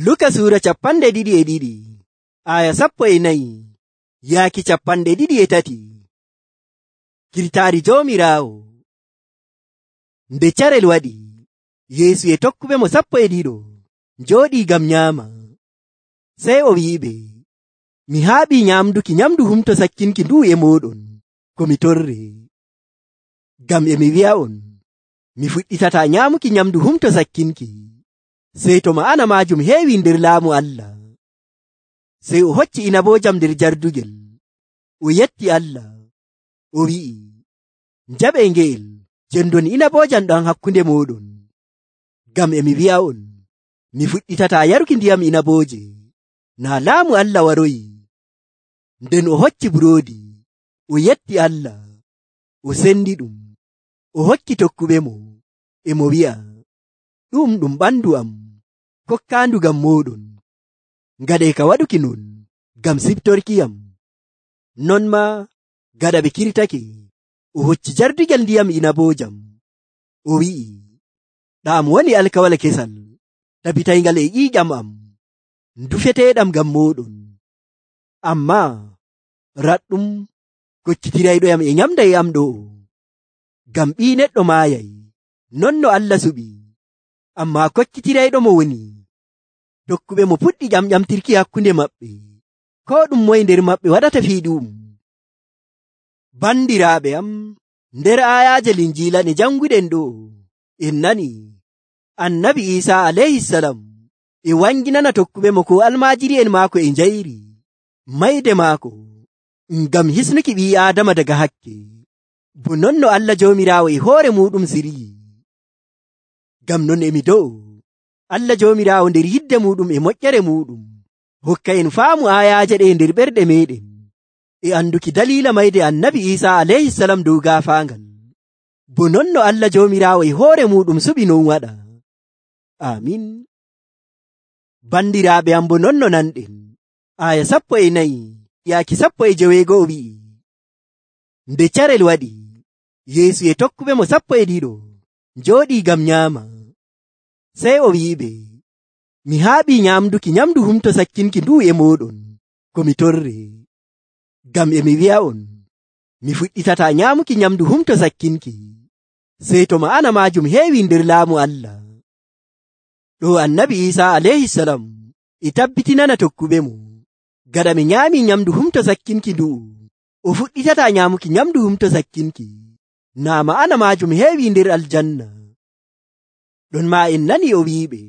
Luka Sura 22 aya 14 yaaki 23. Kirtaari Joomiraawo. Nde carel waɗi, Yeesu e tokkuɓe mo 12 njooɗii ngam nyaama. Sey o wi'iɓe, mi haaɓii nyaamduki nyamndu humto sakkinki nduu e mooɗon ko mi torre. Ngam e mi wi'a'on, mi fuɗɗitataa nyaamuki nyamndu humto sakkinki sey to ma'ana maajum heewi nder laamu Allah. Sey o hocci inaboojam nder jardugel, o yetti Allah, o wi'i, njaɓee ngeel jendon inaboojam ɗam hakkunde mooɗon. Ngam e mi wi'a'on, mi fuɗɗitataa yaruki ndiyam inabooje naa laamu Allah waroyi. Nden o hocci buroodi, o yetti Allah, o sendi ɗum, o hokki tokkuɓe mo, e mo wi'a, ɗum ɓandu am kokkaandu ngam mooɗon. Ngaɗee ka waɗuki non ngam siftorkiyam. Non maa gaɗa ɓe kirtake, o hocci jardugel ndiyam inaboojam, o wi'i, ɗam woni alkawal kesal tabitayngal e ƴiiƴam am, ndufeteeɗam ngam mooɗon. Ammaa raɗɗum koccitirayɗoyam e nyamda e am ɗo'o. Ngam Ɓii Neɗɗo maayay, non no Allah suɓi, ammaa koccitirayɗo mo woni. Tokkuɓe mo puɗɗi ƴamƴamtirki hakkunde maɓɓe, koo ɗum moye nder maɓɓe waɗata fiiɗum. Bandiraaɓe am, nder aayaaje Linjiila ɗe janguɗen ɗo, en nani Annabi Iisaa alayhisalam e wanginana tokkuɓe mo ko almaajiri'en maako e njayri mayde maako ngam hisnuki ɓii Aadama daga hakke, bo non no Allah Joomiraawo e hoore muɗum siryi. Ngam non e mi do'o Allah Joomiraawo nder yidde muɗum e moƴƴere muɗum hokka en faamu aayaaje ɗe nder ɓerɗe meɗen e anduki daliila mayde Annabi Iisaa alayhisalam dow gaafaangal, bo non no Allah Joomiraawo e hoore muɗum suɓi non waɗa. Amin. Bandiraaɓe am, bo non no nanɗen aya 14 yaaki 15 wi'i, nde carel waɗi, Yeesu e tokkuɓe mo 12 njooɗii ngam nyaama. Sey o wi'iɓe, mi haaɓii nyaamduki nyamndu humto sakkinki nduu e mooɗon ko mi torre. Ngam e mi wi'a'on, mi fuɗɗitataa nyaamuki nyamndu humto sakkinki sey to ma'ana maajum heewi nder laamu Allah. Ɗo Annabi Iisaa alayhisalam e tabbitinana tokkuɓe mo, gaɗa ɓe nyaamii nyamndu humto sakkinki ndu'u, o fuɗɗitataa nyaamuki nyamndu humto sakkinki naa ma'ana maajum heewi nder aljanna. Ɗon maa en nani o wi'iɓe,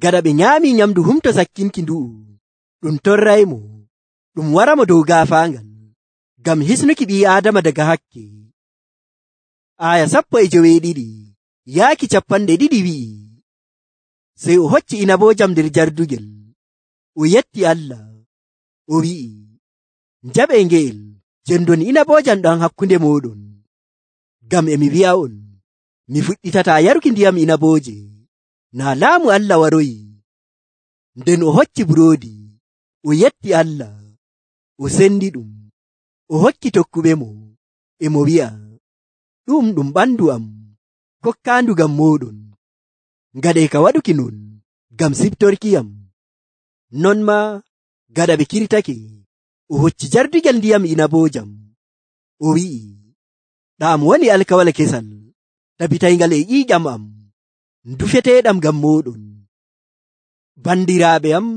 gaɗa ɓe nyaamii nyamndu humto sakkinki ndu'u, ɗum torraymo, ɗum waramo dow gaafaangal ngam hisnuki ɓii Aadama daga hakke. Aya 12 yaaki 20 wi'i, sey o hocci inaboojam nder jardugel, o yetti Allah, o wi'i, njaɓee ngeel jendon inaboojam ɗam hakkunde mooɗon. Ngam e mi wi'a'on, mi fuɗɗitataa yaruki ndiyam inabooje naa laamu Allah waroyi. Nden o hocci buroodi, o yetti Allah, o sendi ɗum, o hokki tokkuɓe mo, e mo wi'a, ɗum ɓandu am kokkaandu ngam mooɗon. Ngaɗee ka waɗuki non ngam siftorkiyam. Non maa gaɗa ɓe kirtake, o hocci jardugel ndiyam inaboojam, o wi'i, ɗam woni alkawal kesal tabitayngal e ƴiiƴam am, ndufeteeɗam ngam mooɗon. Bandiraaɓe am,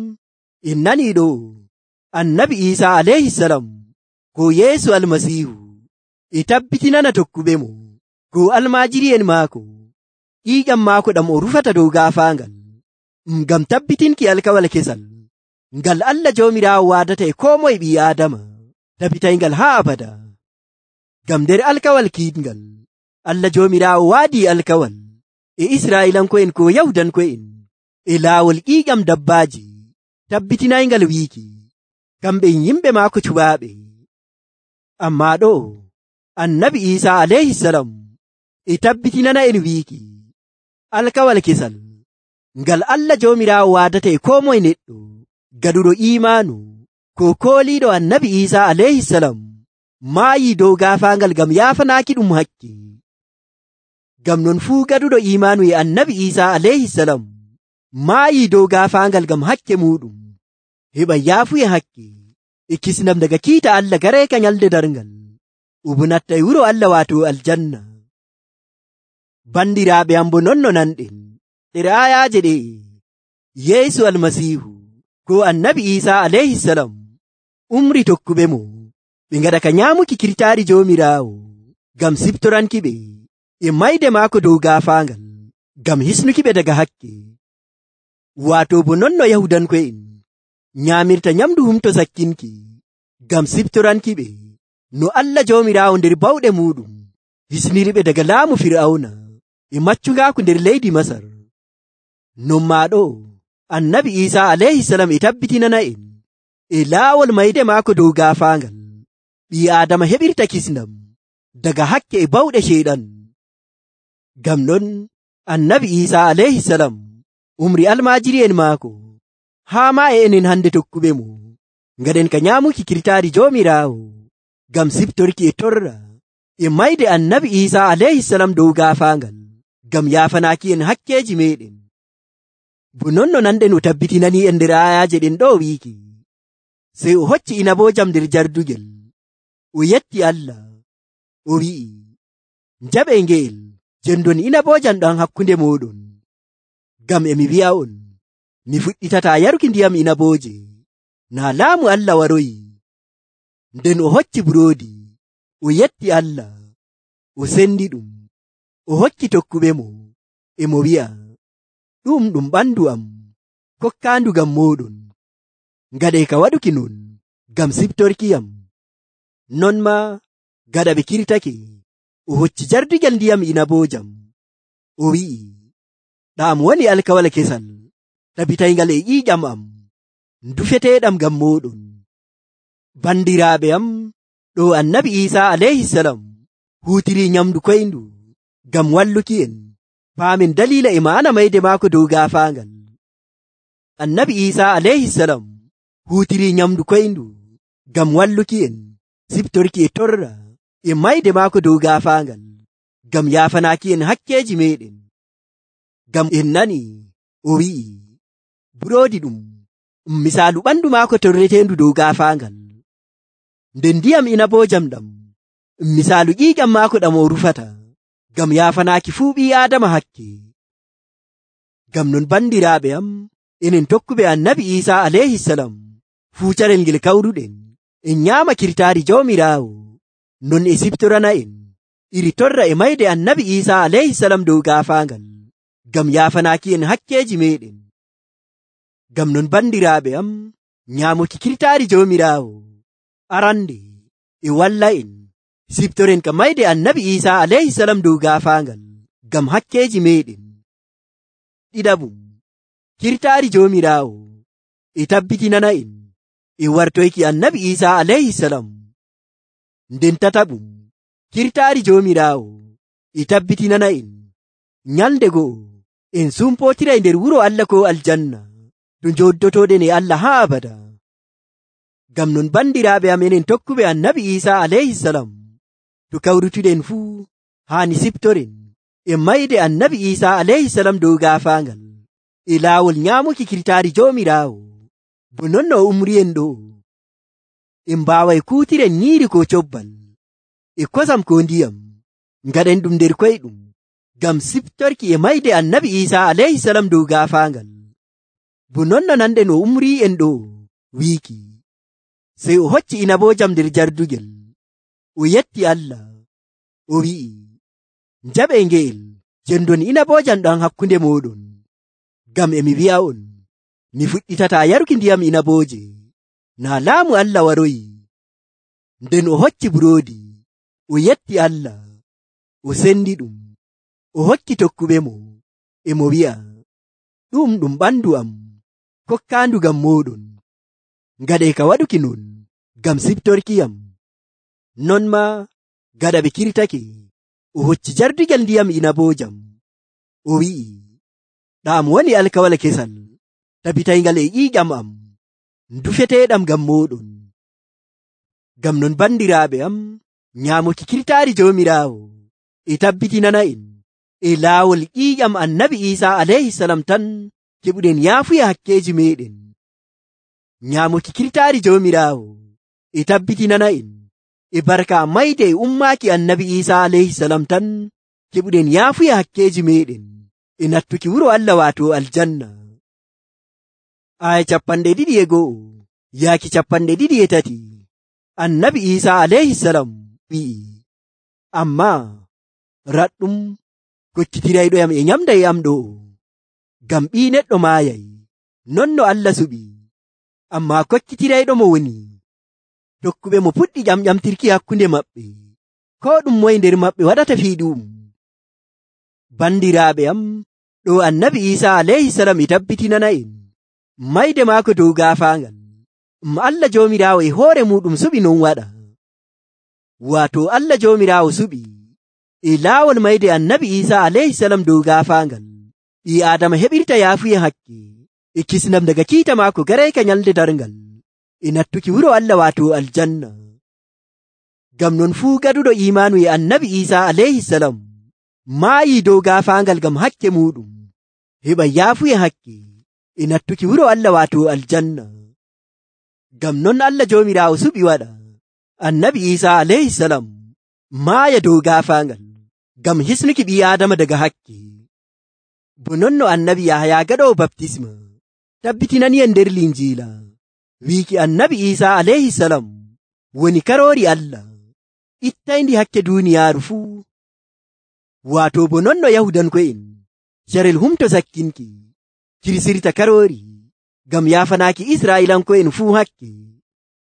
en nanii ɗo Annabi Iisaa alayhisalam ko Yeesu Almasiihu e tabbitinana tokkuɓe mo ko almaajiri'en maako ƴiiƴam maako ɗam o rufata dow gaafaangal ngam tabbitinki alkawal kesal ngal Allah Joomiraawo waadata e koo moye ɓii Aadama tabitayngal haa abada. Ngam nder alkawal kiiɗngal Allah Joomiraawo waadii alkawal e Israa'iilanko'en ko Yahudanko'en e laawol ƴiiƴam dabbaaji tabbitinayngal wiiki kamɓe yimɓe maako cuɓaaɓe. Ammaa ɗo Annabi Iisaa alayhisalam e tabbitinana en wiiki alkawal kesal ngal Allah Joomiraawo waadata e koo moye neɗɗo gaɗuɗo iimaanu ko kooliiɗo Annabi Iisaa alayhisalam maayii dow gaafaangal ngam yaafanaaki ɗum hakke. Ngam non fuu gaɗuɗo iimaanu e Annabi Iisaa alayhisalam maayii dow gaafaangal ngam hakke muuɗum heɓa yaafuye hakke e kisnam daga kiita Allah gareeka nyalde darngal nattay wuro Allah waato aljanna. Bandiraaɓe am bo non no nanɗen nder aayaaje ɗe Yeesu almasiihu ko annabi Iisaa alayhisalam umri tokkuɓe mo ɓe ngaɗa ka nyaamuki kirtaari Joomiraawo ngam siftoranki ɓe e mayde maako dow gaafaangal ngam hisnuki ɓe daga hakke. Waato bo non no Yahudanko'en nyaamirta nyamdu humto sakkinki ngam siftoranki ɓe no Allah Joomiraawo nder bawɗe muuɗum hisniriɓe daga laamu Fir'awna e maccungaaku nder leydi Masar. Non maa ɗo annabi Iisaa alayhisalam e tabbitinana en e laawol mayde maako dow gaafaangal ɓii Aadama heɓirta kisnam daga hakke e bawɗe ceyɗan. Ngam non annabi Iisaa alayhisalam umri almaajiri'en maako haa maa e enen hande tokkuɓe mo ngaɗen ka nyaamuki kirtaari Joomiraawo ngam siftorki e torra e mayde annabi Iisaa alayhisalam dow gaafaangal ngam yaafanaaki en hakkeeji meeɗen. Bo non no nanɗen o tabbitinani en nder aayaaje ɗen ɗo wiiki sey o hocci inaboojam nder jardugel o yetti Allah o wi'i, njaɓe ngeel jendon inaboojam ɗam hakkunde mooɗon, ngam emi wi'a'on mi fuɗɗitataa yaruki ndiyam inabooje naa laamu Allah waroyi. Nden o hocci buroodi o yetti Allah o sendi ɗum o hokki tokkuɓe mo e mo wi'a, ɗum ɓandu am kokkaandu ngam mooɗon, ngaɗe ka waɗuki non ngam siftorkiyam. Non maa gaɗa ɓe kirtake o hocci jardugel ndiyam inaboojam o wi'i, ɗam woni alkawal kesal tabitayngal e ƴiiƴam am ndufeteeɗam ngam mooɗon. Bandiraaɓe am ɗo annabi Iisaa alayhisalam huutiri nyamdu koyndu ngam walluki en paamen daliila e ma'ana mayde maako dow gaafaangal. Annabi Iisaa alayhisalam huutiri nyamdu koyndu ngam walluki en siftorki e torra e mayde maako dow gaafaangal ngam yaafanaaki en hakkeeji meeɗen. Ngam en nani o wi'i buroodi ɗum misaalu ɓandu maako torreteendu dow gaafaangal, nden ndiyam inaboojam ɗam misaalu ƴiiƴam maako ɗam o rufata ngam yaafanaaki fuu ɓii Aadama hakke. Ngam non bandiraaɓe am enen tokkuɓe annabi Iisaa alayhisalam fuu carel ngel kawruɗen en nyaama kirtaari Joomiraawo non e siftorana en iri torra e mayde annabi Iisaa alayhisalam dow gaafaangal ngam yaafanaaki en hakkeeji meeɗen. Ngam non bandiraaɓe am nyaamuki kirtaari Joomiraawo arande e walla en siftoren ka mayde annabi Iisaa alayhisalam dow gaafaangal ngam hakkeeji meeɗen. Ɗiɗaɓum, kirtaari Joomiraawo e tabbitinana en e wartoyki annabi Iisaa alayhisalam. Nden tataɓum, kirtaari Joomiraawo e tabbitinana en nyalde go'o en sumpootiray nder wuro Allah ko aljanna to njoddotoɗen e Allah haa abada. Ngam non bandiraaɓe am enen tokkuɓe annabi Iisaa alayhisalam to kawrutuɗen fuu haani siftoren e mayde annabi Iisaa alayhisalam dow gaafaangal e laawol nyaamuki kirtaari Joomiraawo. Bo non no umri'en ɗo en mbaaway kuutiren nyiiri ko cobbal e kosam ko ndiyam ngaɗen ɗum nder koyɗum ngam siftorki e mayde annabi Iisaa alayhisalam dow gaafaangal. Bo non no nanɗen o umri'en ɗo wiiki sey o hocci inaboojam nder jardugel o yetti Allah o wi'i, njaɓe ngeel jendon inaboojam ɗam hakkunde mooɗon, ngam emi wi'a'on mi fuɗɗitataa yaruki ndiyam inabooje naa laamu Allah waroyi. Nden o hocci buroodi o yetti Allah o sendi ɗum o hokki tokkuɓe mo e mo wi'a, ɗum ɓandu am kokkaandu ngam mooɗon, ngaɗe ka waɗuki non ngam siftorkiyam. Non maa gaɗa ɓe kirtake o hocci jardugel ndiyam inaboojam o wi'i, ɗam woni alkawal kesal tabitayngal e ƴiiƴam am ndufeteeɗam ngam mooɗon. Ngam non bandiraaɓe am nyaamuki kirtaari Joomiraawo e tabbitinana en e laawol ƴiiƴam annabi Iisaa alayhisalam tan keɓuɗen yaafuya hakkeji meɗen. Nyaamuki kirtaari Joomiraawo e tabbitinana'en e barka mayde e ummaaki Annabi Iisaa alayhisalam tan keɓuɗen yaafuya hakkeji meɗen e nattuki wuro Allah waato aljanna. Aya 21 yaaki 23. Annabi Iisaa alayhisalam wi'i, ammaa raɗɗum kokkitirayɗoyam e nyamda e am ɗo, ngam Ɓii Neɗɗo maayay non no Allah suɓi, ammaa kokkitirayɗo mo woni. Tokkuɓe mo puɗɗi ƴamƴamtirki hakkunde maɓɓe, koo ɗum moye nder maɓɓe waɗata fiiɗum. Bandiraaɓe am, ɗo Annabi Iisaa alayhisalam e tabbitinana'en mayde maako dow gaafaangal. Allah Joomiraawo e hoore muɗum suɓi non waɗa. Waato Allah Joomiraawo suɓi e laawol mayde Annabi Iisaa alayhisalam dow gaafaangal ɓii Aadama heɓirta yaafuya hakke e kisnam daga kiita maako garayka nyalde darngal e nattuki wuro Allah waato aljanna. Ngam non fuu gaɗuɗo imaanu e Annabi Iisaa alayhisalam maayi dow gaafaangal ngam hakke muɗum heɓa yaafuya hakke e nattuki wuro Allah waato aljanna. Ngam non Allah Joomiraawo suɓi waɗa Annabi Iisaa alayhisalam maaya dow gaafaangal ngam hisnuki ɓii Aadama daga hakke. Bo non no Annabi Yahaya gaɗowo baptisma tabbitinani'en nder Linjiila wiiki Annabi Iisaa alayhisalam woni karoori Allah ittayndi hakke duuniyaaru fuu. Waato bo non no Yahudanko'en carel humto sakkinki kirsirta karoori ngam yaafanaaki Israa'iilanko'en fuu hakke,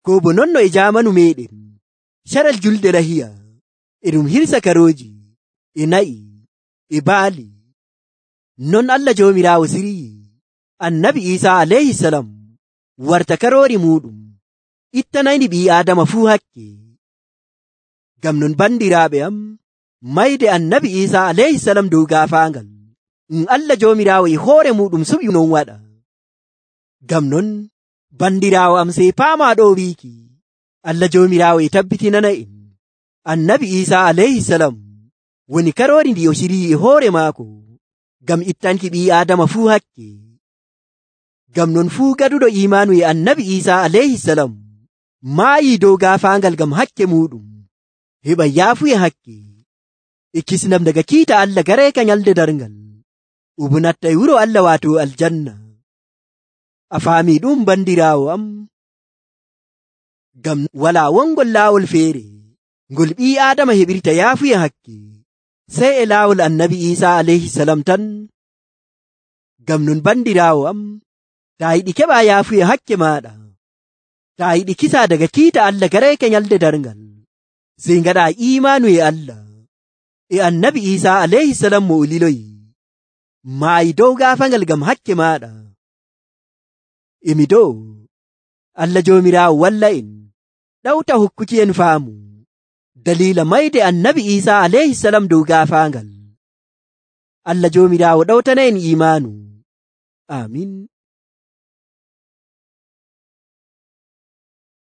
ko bo non no e jaamanu meɗen carel julde lahiya e ɗum hirsa karooji e na'i e baali. Non Allah Joomiraawo siryi Annabi Iisaa alayhisalam warta karoori muɗum ittanayndi ɓii Aadama fuu hakke. Ngam non bandiraaɓe am, mayde Annabi Iisaa alayhisalam dow gaafaangal Allah Joomiraawo e hoore muɗum suɓi non waɗa. Ngam non bandiraawo am sey paamaa ɗo wiiki Allah Joomiraawo e tabbitinana'en Annabi Iisaa alayhisalam woni karoori ndi o shiryi e hoore maako ngam ittanki ɓii Aadama fuu hakke. Ngam non fuu gaɗuɗo imaanu e Annabi Iisaa alayhisalam maayi dow gaafaangal ngam hakke muɗum heɓa yaafuya hakke e kisnam daga kiita Allah garayka nyalde darngal o natta e wuro Allah waato aljanna. A faami ɗum bandiraawo am? Ngam walaa wongol laawol feere ngol ɓii Aadama heɓirta yaafuya hakke sey e laawol Annabi Iisaa alayhisalam tan. Ngam non bandiraawo am, taa yiɗi keɓa yaafuya hakke maaɗa, taa yiɗi kisa daga kiita Allah garayka nyalde darngal, sey ngaɗa imaanu e Allah e Annabi Iisaa alayhisalam mo o liloyi maayi dow gaafangal ngam hakke maaɗa. Emi dow Allah Joomiraawo walla en ɗawta hokkuki en faamu dalila mayde Annabi Iisaa alayhisalam dow gaafaangal. Allah Joomiraawo ɗawtana en imaanu. Amin.